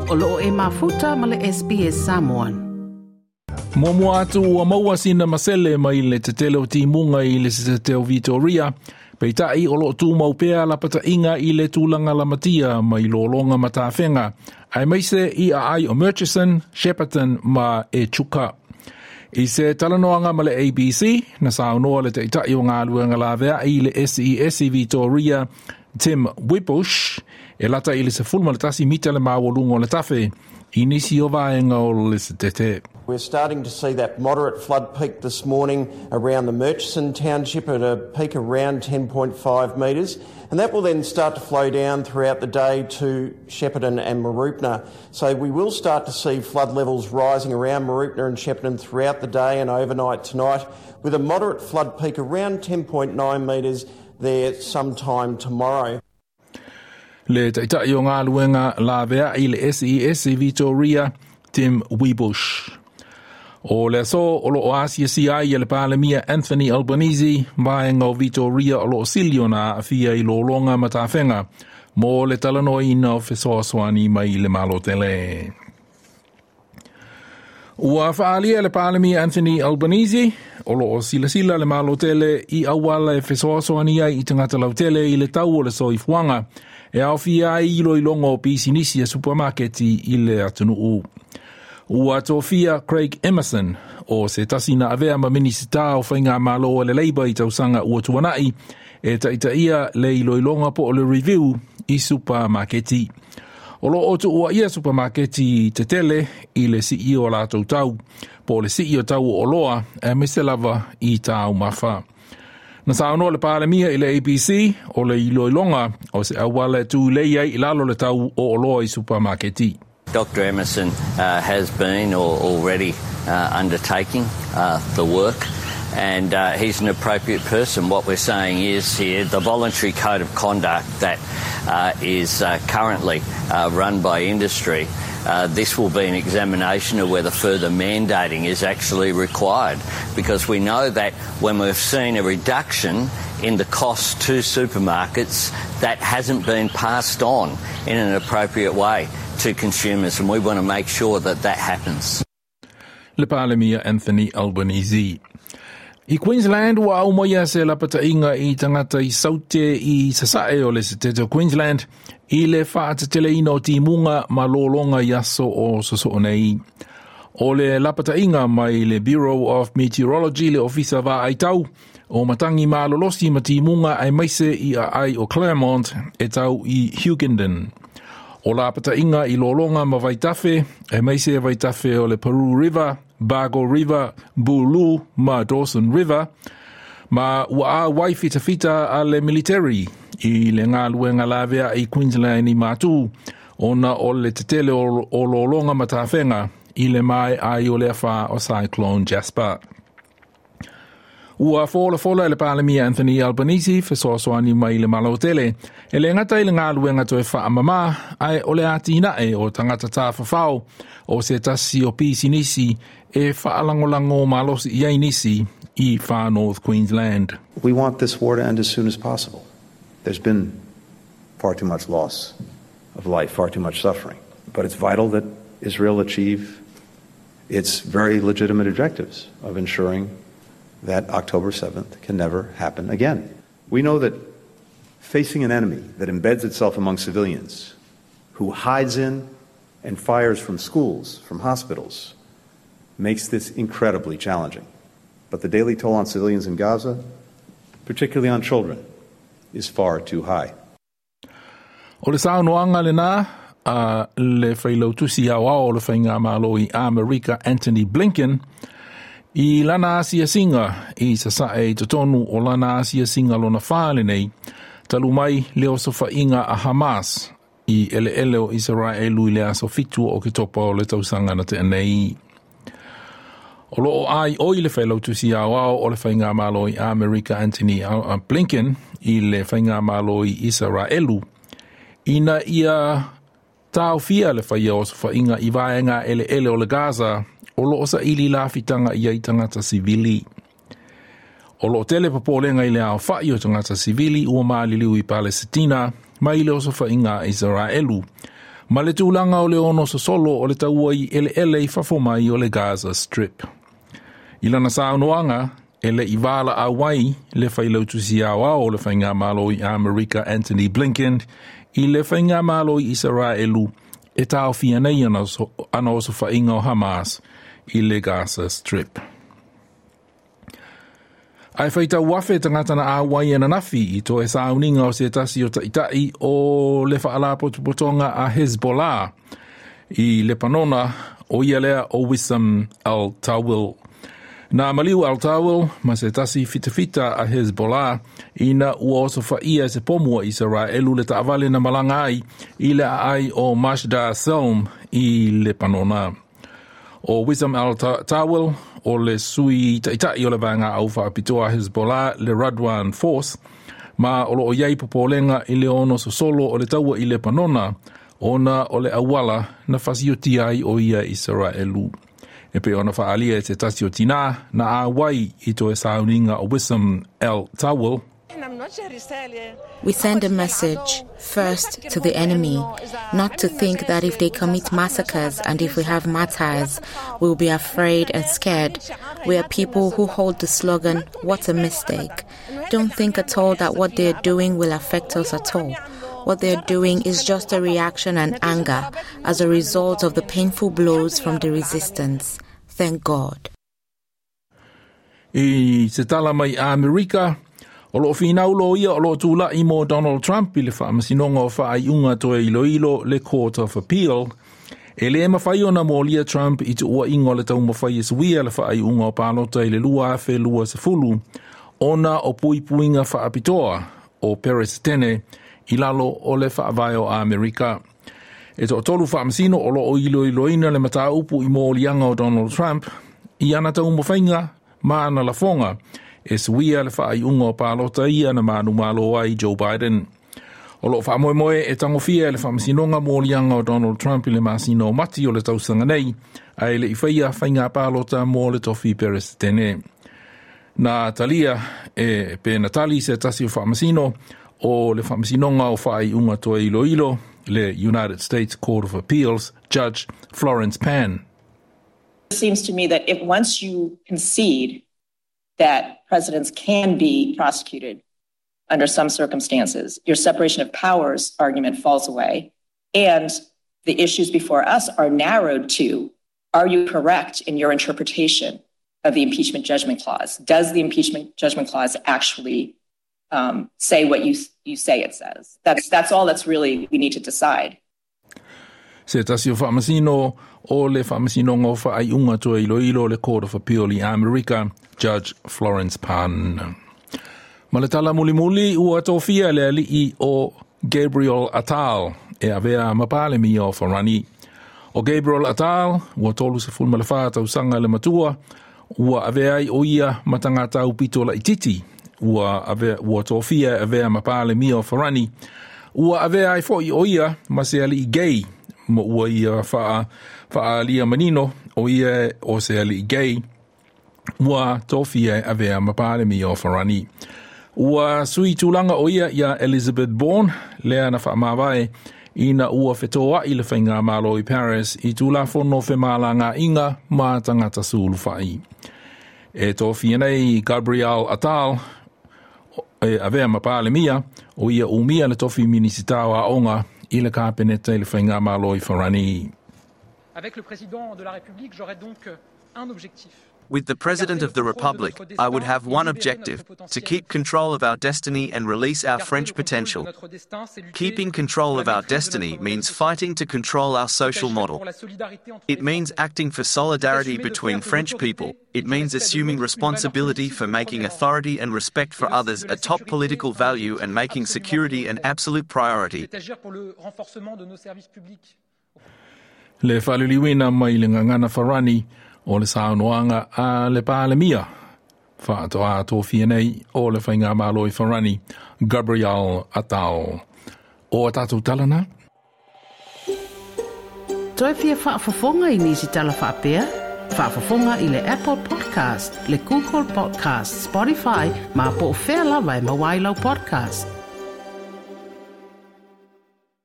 O loo e mafuta ma le SBS Samoan. Muamua atu ua maua sina masele mai le tetele o timuga i le setete o Victoria. Peitai o loo tumau pea lapataʻiga i le tulaga lamatia mai lologa ma tafega, aemaise i aai o Murchison, Shepparton ma Echuca. I se talanoaga ma le ABC, na saunoa le taʻitaʻi o galuega laveai i le SES i Victoria, Tim Wiebusch, e lata i le 11 mita le maualuga o le tafe i nisi o vaega o le setete. We're starting to see that moderate flood peak this morning around the Murchison township at a peak around 10.5 metres, and that will then start to flow down throughout the day to Shepparton and Mooroopna. So we will start to see flood levels rising around Mooroopna and Shepparton throughout the day and overnight tonight, with a moderate flood peak around 10.9 metres there sometime tomorrow. Le taʻitaʻi o galuega laveai i le SES i Victoria, Tim Wiebusch. O le aso o loo asiasia ai e le Palemia Anthony Albanese vaega o Victoria o loo sili ona aafia i lologa ma tafega mo le talanoaina o fesoasoani mai le Malo tele. Ua faaalia le Palemia Anthony Albanese o loo silasila le Malo tele i auala e fesoasoani ai i tagata lautele i le tau o le soifuaga e aofia ai iloiloga o pisinisi a supamaketi i le atunuu. Ua tofia Craig Emerson, o se tasi na avea ma Minisita o Faigamalo a le Labour i tausaga ua tuanaʻi, e taʻitaʻia le iloiloga po o le review i supamaketi. O loo tuuaia supamaketi tetele i le sii o latou tau, po o le sii o tau o oloa, aemaise lava i taumafa. Na saunoa le Palemia i le ABC o le iloiloga o se auala e tulei ai i lalo le tau o oloa i supamaketi. Dr Emerson has been or already undertaking the work and he's an appropriate person. What we're saying is here the voluntary code of conduct that is currently run by industry, this will be an examination of whether further mandating is actually required, because we know that when we've seen a reduction in the cost to supermarkets, that hasn't been passed on in an appropriate way to consumers, and we want to make sure that that happens. Le Palemia Anthony Albanese. I Queensland ua aumaia se lapataʻiga i tagata i Saute i sasae o le setete o Queensland i le faateteleina o timuga ma lologa i aso o sosoo nei. O le lapataʻiga mai le Bureau of Meteorology, le ofisa vaaitau o matagi malolosi ma timuga aemaise i aai o Clermont e tau i Hughenden. O lapataʻiga i lologa ma vaitafe, aemaise vaitafe o le Paroo River, Bago River, Bulloo ma Dawson River, ma ua auai fitafita a le military i le galuega laveai i Queensland i Matu ona o le tetele o lologa ma tafega i le maeai o le afa o Cyclone Jasper. Ua folafola e le Palemia Anthony Albanese fesoasoani mai le Malo tele e le gata i le galuega toe faamamā ae o le atinae o tagata tafafao o se tasi o pisinisi e faalagolago malosi i ai nisi i Far North Queensland. We want this war to end as soon as possible. There's been far too much loss of life, far too much suffering. But it's vital that Israel achieve its very legitimate objectives of ensuring that October 7th can never happen again. We know that facing an enemy that embeds itself among civilians, who hides in and fires from schools, from hospitals, makes this incredibly challenging. But the daily toll on civilians in Gaza, particularly on children, is far too high. O le saunoaga lenā a le Failautusi Aoao o le Faigamalo i Amerika Antony Blinken i lana asiasiga i sasae i totonu o lana asiasiga lona 4 lenei talu mai le osofaiga a Hamas i eleele o Isaraelu i le aso 7 o Oketopa o le tausaga na tea nei. O loo aioi le Failautusi Aoao o le Faigamalo i Amerika Antony Blinken i le Faigamalo i Isaraelu ina ia taofia le faia osofaiga i vaega eleele o le Gaza o loo saili lafitaga i ai tagata sivili. O loo tele popolega i le aofaʻi o tagata sivili ua maliliu i Palesitina mai le osofaiga a Isaraelu. Ma le tulaga o le ono sosolo o le taua i eleele i fafo mai o le Gaza Strip. I lana saunoaga, e le i valaau ai le Failautusi Aoao o le Faigamalo i Amerika Antony Blinken i le Faigamalo i Isaraelu e taofia nei ana osofaiga o Hamas i le Gaza Strip. Ae faitau afe tagata na auai ananafi i toe sauniga o se tasi o ta'ita'i o le fa'alapotopotoga a Hezbollah i Lepanona, o ia lea o Wissam al-Tawil. Na maliu al-Tawil ma se tasi fitafita a Hezbollah ina ua osofa'ia e se pomu a Isaraelu le ta'avale na malaga ai i le a'ai o Majdal Selm i Lepanona. O Wissam al-Tawil o le sui ta'ita'i o le vaega au fa'apitoa Hezbollah, le Radwan Force, ma o lo'o i ai popolega i le ono sosolo o le taua i Lepanona ona o le auala na fasiotia ai o ia Isaraelu. E pei ona fa'aalia e se tasi o tinā na auai i toe sauniga o Wissam al-Tawil. We send a message, first, to the enemy, not to think that if they commit massacres and if we have martyrs, we'll be afraid and scared. We are people who hold the slogan, "What a mistake." Don't think at all that what they are doing will affect us at all. What they are doing is just a reaction and anger as a result of the painful blows from the resistance. Thank God. I se tala mai Amerika, o lo'o finau loia o lo'o tula'i mo Donald Trump i le Faamasinoga o Faaiuga Toe Iloilo, le Court of Appeal, e lē mafai ona molia Trump i tuua'iga o le taumafai e suia le faaiuga o palota i le 2020 ona o puipuiga faapitoa o Peresetene i lalo o le Faavae o Amerika. E toatolu faamasino o loo iloiloina le mataupu i moliaga o Donald Trump i ana taumafaiga ma ana lafoga e suia le faaiuga o palota ia na manumalo ai Joe Biden. O loo faamoemoe e tagofia e le Faamasinoga moliaga o Donald Trump i le masina o Mati o le tausaga nei, ae le i faia faiga palota mo le tofi Peresetene. Na talia e pe na tali se tasi o faamasino o le Faamasinoga o Faaiuga Toe Iloilo, le United States Court of Appeals Judge Florence Pan. It seems to me that if once you concede that presidents can be prosecuted under some circumstances, your separation of powers argument falls away. And the issues before us are narrowed to, are you correct in your interpretation of the impeachment judgment clause? Does the impeachment judgment clause actually say what you say it says? That's all that's really we need to decide. Se tasi o faamasino o le Faamasinoga o Faaiuga Toe Iloilo, le Court of Appeal i Amerika, Judge Florence Pan. Ma le tala mulimuli, ua tofia le ali'i o Gabriel Attal e avea ma Palemia o Farani. O Gabriel Attal, ua 34 tausaga le matua, ua avea ai o ia ma tagata aupito laititi ua, avea, ua tofia e avea ma Palemia o Farani. Ua avea ai fo'i o ia ma se ali'i gay, ma ua ia faaalia manino o ia o se ali'i gay ua tofia e avea ma Palemia o Farani. Ua sui tulaga o ia iā Elizabeth Borne, lea na faamavae ina ua fetoa'i le Faigamalo i Paris i Tulafono femalaga'iga ma tagata sulufa'i. E tofia nei Gabriel Attal e avea ma Palemia, o ia umia le tofi Minisita o Aoga i le Kapeneta i le Faigamalo i Farani. Avec le président de la République, j'aurais donc un objectif. With the President of the Republic, I would have one objective: to keep control of our destiny and release our French potential. Keeping control of our destiny means fighting to control our social model. It means acting for solidarity between French people. It means assuming responsibility for making authority and respect for others a top political value and making security an absolute priority. Le faaliliuina mai le gagana Farani o le saunoaga a le Palemia faatoā tofia nei o le Faigamalo i Farani, Gabriel Attal. O a tatou tala na. Toe fia faafofoga i nisi tala faapea? Faafofoga i le Apple Podcast, le Google Podcast, Spotify, ma po o fea lava e maua ai lau podcast.